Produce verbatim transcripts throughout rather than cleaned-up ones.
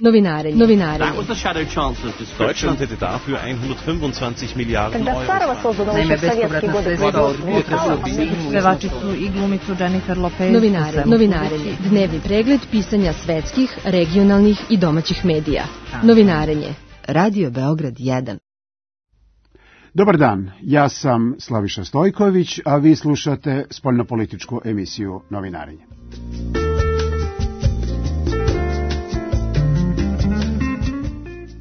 Novinarenje. Novinarenje. Deutschland hätte dafür hundertfünfundzwanzig Miliarden Euro. Naime, bespovratna sredstva od budžeta pevačicu i glumicu Jennifer Lopez. Novinarenje. Novinarenje. Dnevni pregled pisanja svetskih, regionalnih i domaćih medija. Novinarenje. Radio Beograd jedan. Dobar dan, ja sam Slaviša Stojković, a vi slušate spoljnopolitičku emisiju Novinarenje.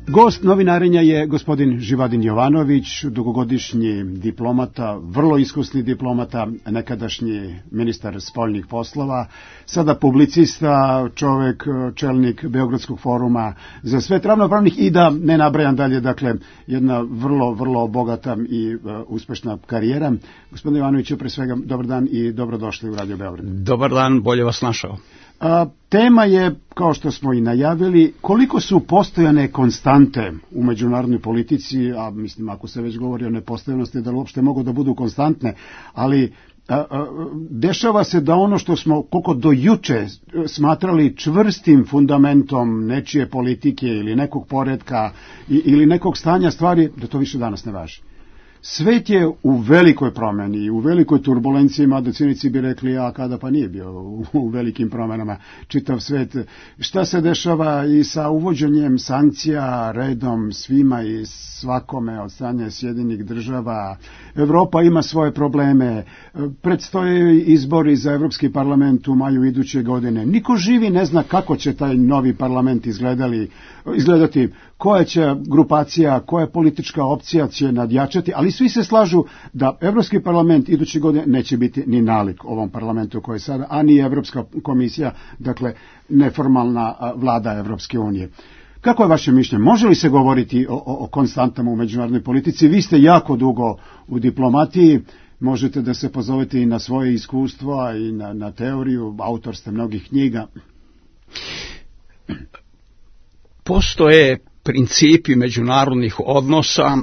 Gost Novinarenja je gospodin Živadin Jovanović, dugogodišnji diplomata, vrlo iskusni diplomata, nekadašnji ministar spoljnih poslova, sada publicista, čovek, čelnik Beogradskog foruma za svet ravnopravnih i da ne nabrajam dalje, dakle, jedna vrlo, vrlo bogata i uh, uspešna karijera. Gospodin Jovanović, pre svega, dobar dan i dobrodošli u Radio Beograd. Dobar dan, bolje vas našao. A, tema je, kao što smo i najavili, koliko su postojane konstante u međunarodnoj politici, a mislim, ako se već govori o nepostojanosti, da li uopšte mogu da budu konstantne, ali a, a, dešava se da ono što smo koliko do juče smatrali čvrstim fundamentom nečije politike ili nekog poretka i, ili nekog stanja stvari, da to više danas ne važi. Svet je u velikoj promeni, u velikoj turbulenciji, mada cinici bi rekli, a kada pa nije bio u, u velikim promenama čitav svet. Šta se dešava i sa uvođenjem sankcija redom svima i svakome od strane Sjedinjenih država? Evropa ima svoje probleme, predstoje izbori za Evropski parlament u maju iduće godine. Niko živi ne zna kako će taj novi parlament izgledali, izgledati, koja će grupacija, koja politička opcija će nadjačati, ali svi se slažu da Evropski parlament iduće godine neće biti ni nalik ovom parlamentu koji je sada, a ni Evropska komisija, dakle neformalna vlada Evropske unije. Kako je vaše mišljenje? Može li se govoriti o, o, o konstantama u međunarodnoj politici? Vi ste jako dugo u diplomatiji, možete da se pozovete i na svoje iskustva i na, na teoriju, autor ste mnogih knjiga. Postoje principi međunarodnih odnosa,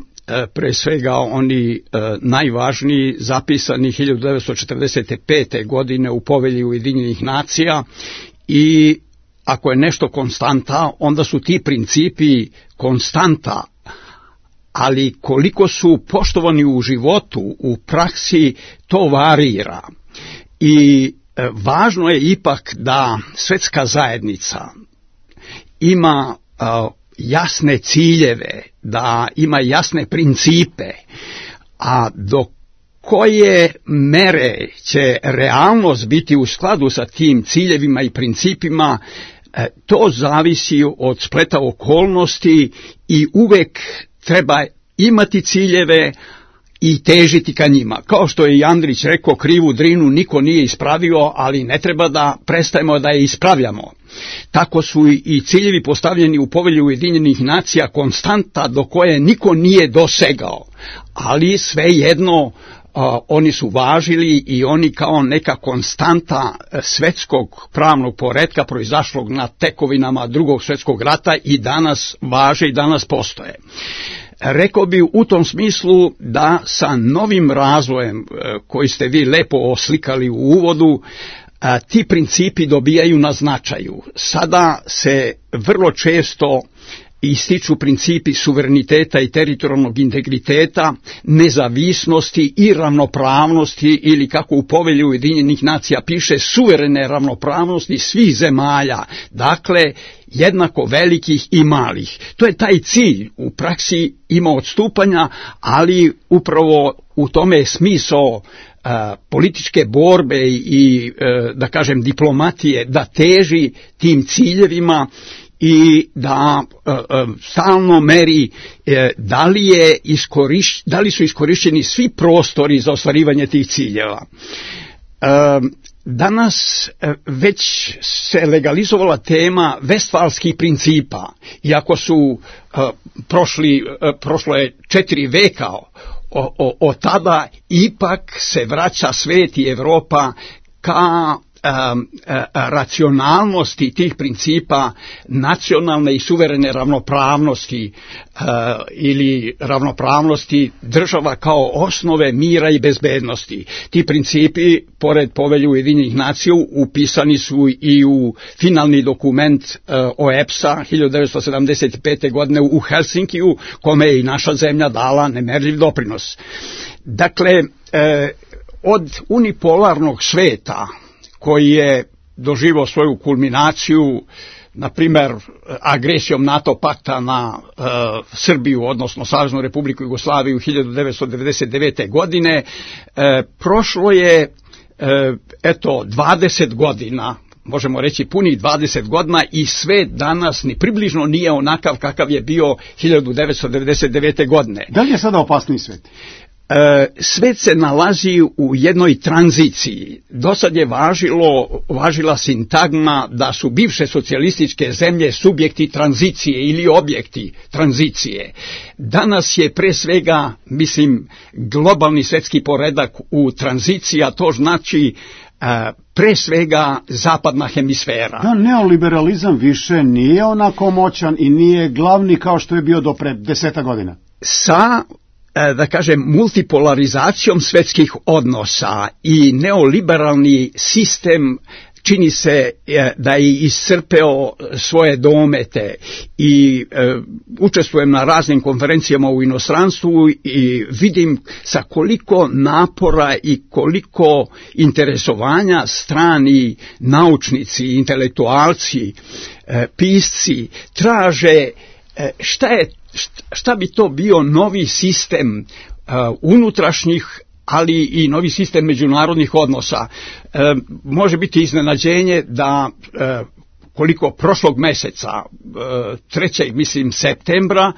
pre svega oni najvažniji, zapisani hiljadu devetsto četrdeset pete. godine u Povelji Ujedinjenih nacija, i ako je nešto konstanta, onda su ti principi konstanta, ali koliko su poštovani u životu, u praksi, to varira. I važno je ipak da svetska zajednica ima uh, jasne ciljeve, da ima jasne principe, a do koje mere će realnost biti u skladu sa tim ciljevima i principima, to zavisi od spleta okolnosti i uvek treba imati ciljeve i težiti ka njima. Kao što je i Andrić rekao, krivu Drinu niko nije ispravio, ali ne treba da prestajemo da je ispravljamo. Tako su i ciljevi postavljeni u Povelji Ujedinjenih nacija konstanta do koje niko nije dosegao, ali svejedno uh, oni su važili i oni kao neka konstanta svetskog pravnog poretka proizašlog na tekovinama Drugog svjetskog rata i danas važe i danas postoje. Rekao bi u tom smislu da sa novim razvojem koji ste vi lepo oslikali u uvodu, ti principi dobijaju na značaju. Sada se vrlo često ističu principi suvereniteta i teritorijalnog integriteta, nezavisnosti i ravnopravnosti, ili kako u Povelji Ujedinjenih nacija piše, suverene ravnopravnosti svih zemalja, dakle jednako velikih i malih. To je taj cilj. U praksi ima odstupanja, ali upravo u tome je smisao Uh, političke borbe i, uh, da kažem, diplomatije, da teži tim ciljevima i da uh, uh, stalno meri uh, da li, je iskoriš, da li su iskorišćeni svi prostori za ostvarivanje tih ciljeva. Uh, Danas već se legalizovala tema Vestfalskih principa, iako su uh, prošli, uh, prošlo je četiri veka O, o, od tada ipak se vraća svet i Evropa ka racionalnosti tih principa nacionalne i suverene ravnopravnosti ili ravnopravnosti država kao osnove mira i bezbednosti. Ti principi, pored Povelje Ujedinjenih nacija, upisani su i u finalni dokument O E P S-a hiljadu devetsto sedamdeset pete. godine u Helsinkiju, kome je i naša zemlja dala nemerljiv doprinos. Dakle, od unipolarnog sveta koji je doživio svoju kulminaciju, na primjer, agresijom NATO pakta na e, Srbiju, odnosno Saveznu Republiku Jugoslaviju hiljadu devetsto devedeset devete. godine, e, prošlo je, e, eto, dvadeset godina, možemo reći punih dvadeset godina, i svet danas ni približno nije onakav kakav je bio hiljadu devetsto devedeset devete. godine. Da li je sada opasniji svet? Svet se nalazi u jednoj tranziciji. Do sad je važilo, važila sintagma da su bivše socijalističke zemlje subjekti tranzicije ili objekti tranzicije. Danas je pre svega, mislim, globalni svetski poredak u tranziciji, a to znači pre svega zapadna hemisfera. Da, neoliberalizam više nije onako moćan i nije glavni kao što je bio do pre deseta godina. Sa da kažem, multipolarizacijom svetskih odnosa i neoliberalni sistem čini se da je iscrpeo svoje domete i e, učestvujem na raznim konferencijama u inostranstvu i vidim sa koliko napora i koliko interesovanja strani naučnici, intelektualci, e, pisci traže e, šta je šta bi to bio novi sistem uh, unutrašnjih, ali i novi sistem međunarodnih odnosa. Uh, može biti iznenađenje da uh, koliko prošlog meseca, uh, trećeg mislim septembra,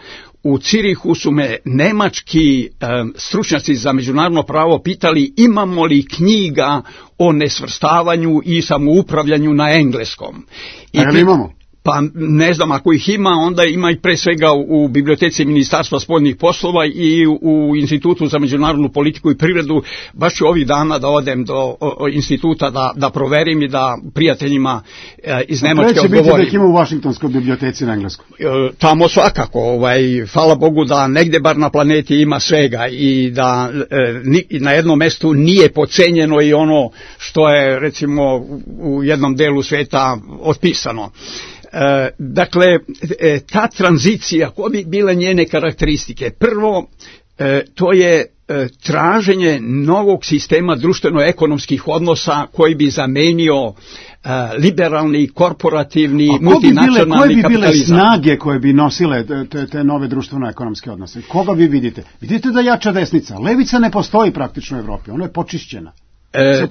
u Cirihu su me nemački um, stručnjaci za međunarodno pravo pitali imamo li knjiga o nesvrstavanju i samoupravljanju na engleskom. I A li imamo? Pa ne znam, ako ih ima, onda ima i pre svega u biblioteci Ministarstva spoljnih poslova i u Institutu za međunarodnu politiku i privredu. Baš ću ovih dana da odem do o, o, instituta da, da proverim i da prijateljima e, iz Nemačke odgovorim. Treće biti da ih ima u Vašingtonskoj biblioteci na engleskom. E, tamo svakako, ovaj, hvala Bogu da negde bar na planeti ima svega i da e, ni, na jednom mestu nije podcenjeno i ono što je recimo u jednom delu sveta otpisano. E, dakle, e, ta tranzicija, koje bi bile njene karakteristike? Prvo, e, to je e, traženje novog sistema društveno-ekonomskih odnosa koji bi zamenio e, liberalni, korporativni, multinacionalni koje bi kapitalizam. Koje bi bile snage koje bi nosile te, te nove društveno-ekonomske odnose? Koga vi vidite? Vidite da jača desnica. Levica ne postoji praktično u Evropi, ona je počišćena. E,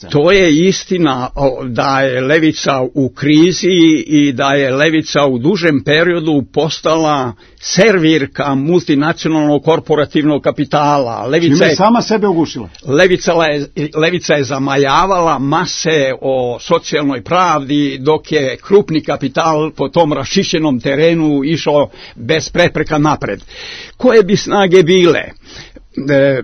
to je istina da je levica u krizi i da je levica u dužem periodu postala servirka multinacionalnog korporativnog kapitala. Levica je sama sebe ugušila. Levica je, levica je zamajavala mase o socijalnoj pravdi, dok je krupni kapital po tom raščišćenom terenu išao bez prepreka napred. Koje bi snage bile? E, e,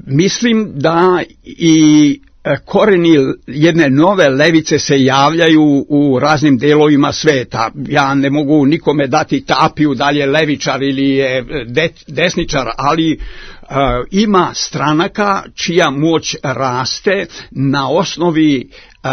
mislim da i koreni jedne nove levice se javljaju u raznim delovima sveta. Ja ne mogu nikome dati tapiju da li je levičar ili je de, desničar, ali e, ima stranaka čija moć raste na osnovi e,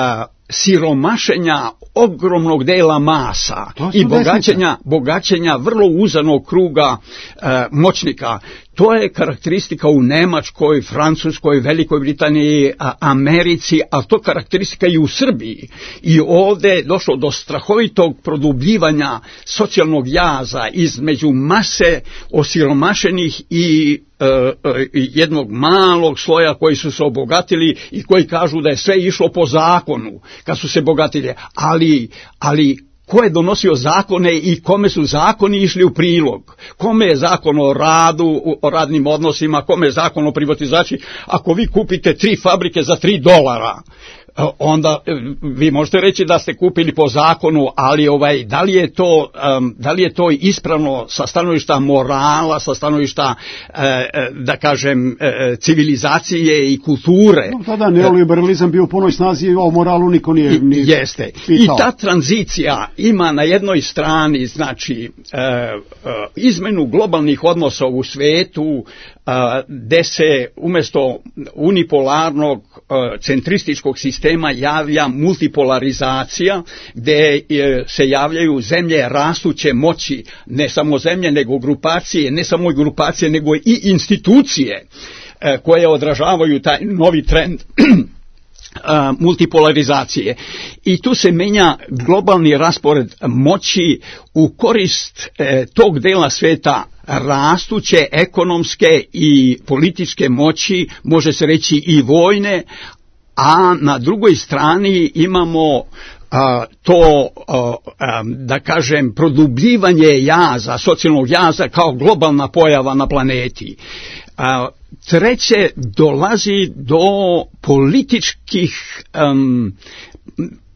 siromašenja ogromnog dela masa i bogaćenja, bogaćenja vrlo uzanog kruga e, moćnika. To je karakteristika u Nemačkoj, Francuskoj, Velikoj Britaniji, Americi, a to karakteristika i u Srbiji. I ovdje je došlo do strahovitog produbljivanja socijalnog jaza između mase osiromašenih i e, e, jednog malog sloja koji su se obogatili i koji kažu da je sve išlo po zakonu kad su se bogatili. Ali, ali ko je donosio zakone i kome su zakoni išli u prilog? Kome je zakon o radu, o radnim odnosima, kome je zakon o privatizaciji? Ako vi kupite tri fabrike za tri dolara, onda vi možete reći da ste kupili po zakonu, ali ovaj da li je to um, da li je to ispravno sa stanovišta morala, sa stanovišta e, da kažem e, civilizacije i kulture. No, tada neoliberalizam bio u punoj snazi i o moralu niko nije ni jeste. pitao. I ta tranzicija ima na jednoj strani znači e, e, izmenu globalnih odnosa u svetu, gde se umjesto unipolarnog centrističkog sistema javlja multipolarizacija, gde se javljaju zemlje rastuće moći, ne samo zemlje nego grupacije, ne samo grupacije nego i institucije koje odražavaju taj novi trend multipolarizacije. I tu se menja globalni raspored moći u korist e, tog dela sveta rastuće ekonomske i političke moći, može se reći i vojne, a na drugoj strani imamo a, to, a, a, da kažem, produbljivanje jaza, socijalnog jaza kao globalna pojava na planeti. A, treće, dolazi do političkih um,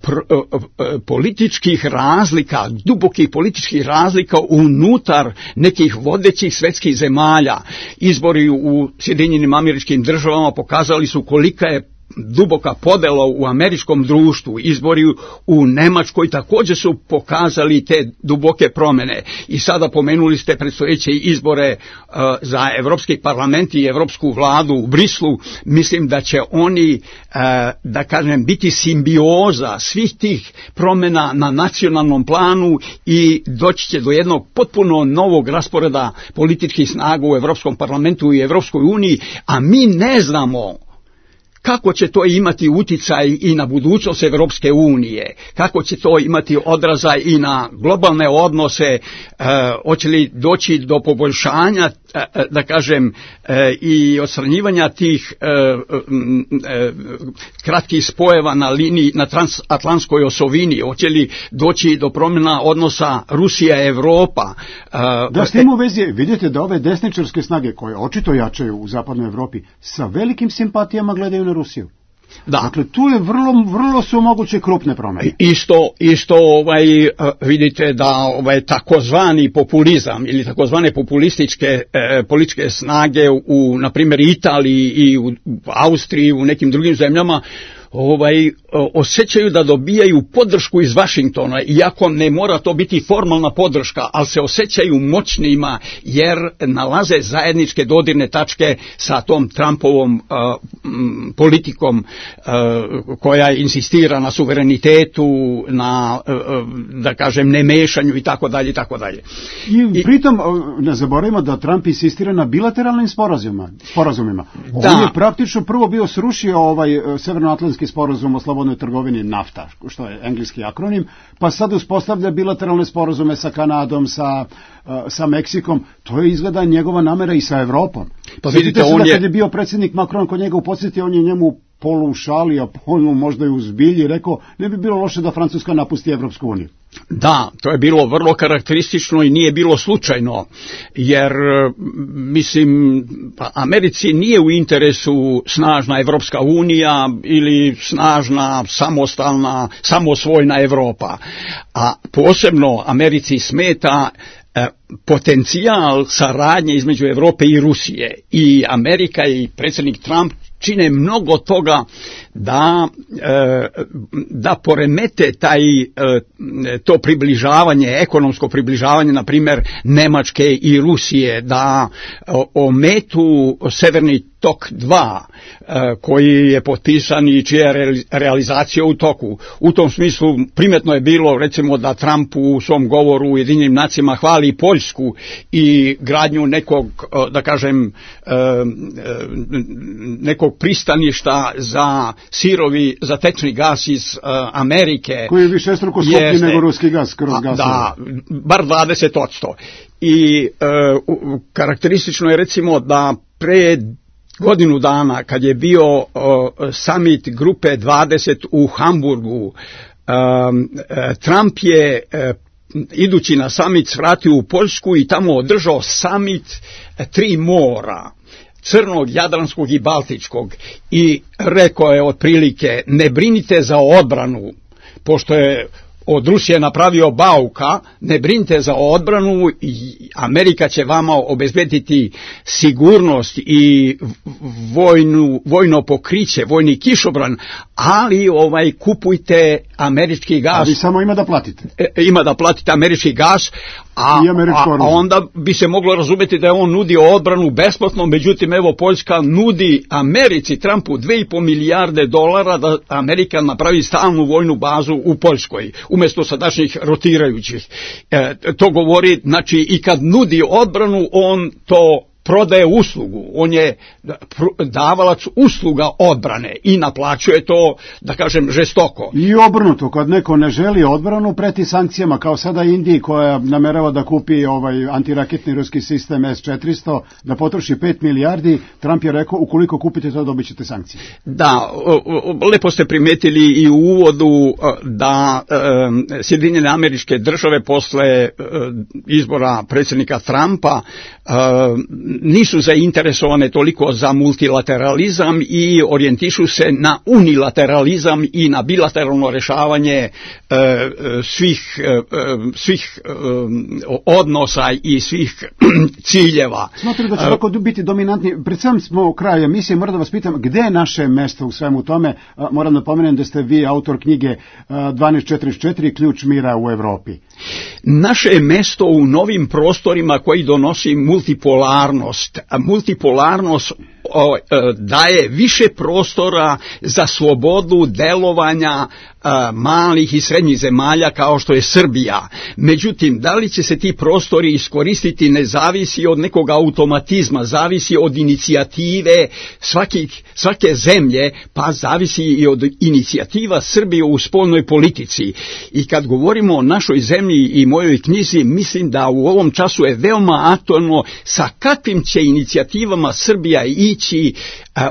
pr, uh, političkih razlika, dubokih političkih razlika unutar nekih vodećih svjetskih zemalja. Izbori u Sjedinjenim Američkim Državama pokazali su kolika je duboka podela u američkom društvu. Izbori u Nemačkoj također su pokazali te duboke promjene. I sada pomenuli ste predstojeće izbore uh, za Evropski parlament i Evropsku vladu u Brislu. Mislim da će oni, uh, da kažem, biti simbioza svih tih promjena na nacionalnom planu i doći će do jednog potpuno novog rasporeda političkih snaga u Evropskom parlamentu i Evropskoj uniji, a mi ne znamo kako će to imati uticaj i na budućnost Evropske unije, kako će to imati odraza i na globalne odnose, e, hoće li doći do poboljšanja, e, da kažem, e, i odstranjivanja tih e, e, kratkih spojeva na liniji, na transatlantskoj osovini, hoće li doći do promjena odnosa Rusija-Evropa. E, da, s tim u vezi vidite da ove desničarske snage koje očito jačaju u zapadnoj Evropi sa velikim simpatijama gledaju na Rusiju. Da. Dakle, tu je vrlo, vrlo su moguće krupne promjene. Isto, isto ovaj, vidite da ovaj, takozvani populizam ili takozvane populističke eh, političke snage u, na primjer, Italiji i u Austriji, u nekim drugim zemljama, ovaj, osjećaju da dobijaju podršku iz Vašingtona, iako ne mora to biti formalna podrška, ali se osjećaju moćnima jer nalaze zajedničke dodirne tačke sa tom Trumpovom uh, m, politikom uh, koja insistira na suverenitetu, na, uh, da kažem, nemešanju i tako dalje i tako dalje. I pritom ne zaboravimo da Trump insistira na bilateralnim sporazumima. sporazumima. Da. On je praktično prvo bio srušio ovaj Severnoatlantski sporazum o slobodnoj trgovini NAFTA, što je engleski akronim, pa sad uspostavlja bilateralne sporazume sa Kanadom, sa, uh, sa Meksikom. To je izgleda njegova namera i sa Evropom. Pa vidite, on je... kad je bio predsjednik Macron kod njega u posjeti, on je njemu polu šali, a polu možda i u zbilji rekao, ne bi bilo loše da Francuska napusti Evropsku uniju. Da, to je bilo vrlo karakteristično i nije bilo slučajno, jer, mislim, Americi nije u interesu snažna Evropska unija ili snažna, samostalna, samosvojna Evropa, a posebno Americi smeta e, potencijal saradnje između Evrope i Rusije. I Amerika i predsjednik Trump čine mnogo toga da, da poremete taj, to približavanje, ekonomsko približavanje, na primjer, Nemačke i Rusije, da ometu Severni tok dva, koji je potpisan i čija je realizacija u toku. U tom smislu primetno je bilo, recimo, da Trump u svom govoru u Ujedinjenim nacijama hvali Poljsku i gradnju nekog, da kažem, nekog pristaništa za sirovi, za tečni gas iz Amerike. Koji je višestruko skuplji nego ruski gas kroz gasove. Da, bar dvadeset posto. I karakteristično je, recimo, da pre godinu dana, kad je bio uh, summit grupe dvadeset u Hamburgu, um, Trump je uh, idući na summit svratio u Poljsku i tamo održao summit tri mora. Crnog, Jadranskog i Baltičkog i rekao je otprilike ne brinite za odbranu, pošto je od Rusije napravio bauka, ne brinite za odbranu i Amerika će vama obezbediti sigurnost i vojnu, vojno pokriće, vojni kišobran, ali ovaj kupujte američki gas. A vi samo ima da platite. E, ima da platite američki gas, a, a, a onda bi se moglo razumeti da je on nudio odbranu besplatno, međutim evo Poljska nudi Americi, Trumpu, dve i po milijarde dolara da Amerika napravi stalnu vojnu bazu u Poljskoj, umjesto sadašnjih rotirajućih. E, to govori, znači i kad nudi odbranu, on to prodaje uslugu, on je davalac usluga odbrane i naplaćuje to, da kažem, žestoko. I obrnuto, kad neko ne želi odbranu, preti sankcijama, kao sada Indiji koja namerava da kupi ovaj antiraketni ruski sistem S četiristo, da potroši pet milijardi, Trump je rekao, ukoliko kupite to, dobit ćete sankcije. Da, lepo ste primetili i u uvodu da e, Sjedinjene Američke Države posle e, izbora predsjednika Trumpa e, nisu zainteresovane toliko za multilateralizam i orijentišu se na unilateralizam i na bilateralno rešavanje e, svih, e, svih e, odnosa i svih ciljeva. Smatram da će tako biti dominantni. Pred sam smo u kraju emisije, moram da vas pitam, gde je naše mesto u svemu tome? Moram da pomenem da ste vi autor knjige dvanaest četrdeset četiri, ključ mira u Evropi. Naše je mesto u novim prostorima koji donosi multipolarnost. A multipolarnost o, daje više prostora za slobodu delovanja a, malih i srednjih zemalja kao što je Srbija. Međutim, da li će se ti prostori iskoristiti ne zavisi od nekog automatizma, zavisi od inicijative svakih, svake zemlje, pa zavisi i od inicijativa Srbije u spoljnoj politici. I kad govorimo o našoj zemlji i mojoj knjizi, mislim da u ovom času je veoma aktualno sa kakvim će inicijativama Srbija ići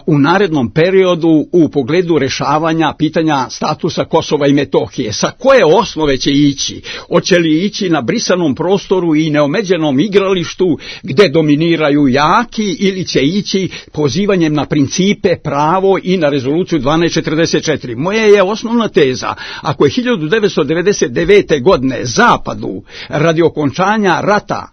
u narednom periodu u pogledu rešavanja pitanja statusa Kosova i Metohije. Sa koje osnove će ići? Hoće li ići na brisanom prostoru i neomeđenom igralištu gde dominiraju jaki ili će ići pozivanjem na principe, pravo i na rezoluciju dvanaest četrdeset četiri? Moja je osnovna teza, ako je hiljadu devetsto devedeset devete. godine Zapadu radi okončanja rata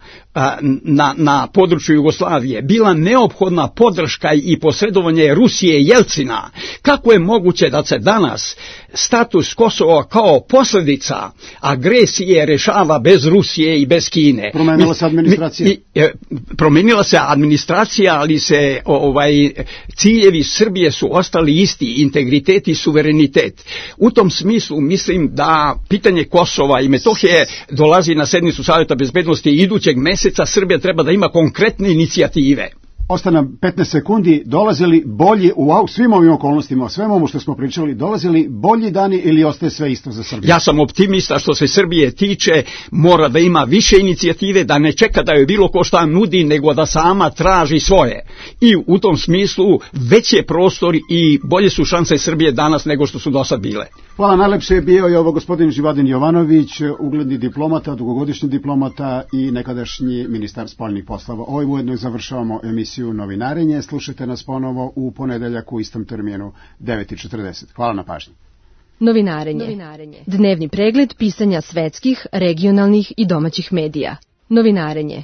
Na, na području Jugoslavije bila neophodna podrška i posredovanje Rusije i Jelcina, kako je moguće da se danas status Kosova kao posljedica agresije rešava bez Rusije i bez Kine? Promenila se administracija. Mi, mi, promenila se administracija, ali se ovaj ciljevi Srbije su ostali isti, integritet i suverenitet. U tom smislu mislim da pitanje Kosova i Metohije dolazi na sednicu Saveta bezbednosti idućeg meseca. Srbija treba da ima konkretne inicijative. Ostane petnaest sekundi, dolazili bolji u svim ovim okolnostima, o svemu ovo što smo pričali, dolazili bolji dani ili ostaje sve isto za Srbiju? Ja sam optimista što se Srbije tiče, mora da ima više inicijative, da ne čeka da joj bilo ko šta nudi, nego da sama traži svoje. I u tom smislu veće prostor i bolje su šanse Srbije danas nego što su do sad bile. Hvala, najlepše je bio i ovo gospodin Živadin Jovanović, ugledni diplomata, dugogodišnji diplomata i nekadašnji ministar spoljnih poslova. Ovim ujedno završavamo emisiju Novinarenje. Slušajte nas ponovo u ponedeljak u istom terminu devet i četrdeset. Hvala na pažnji. Novinarenje. Novinarenje. Dnevni pregled pisanja svetskih, regionalnih i domaćih medija. Novinarenje.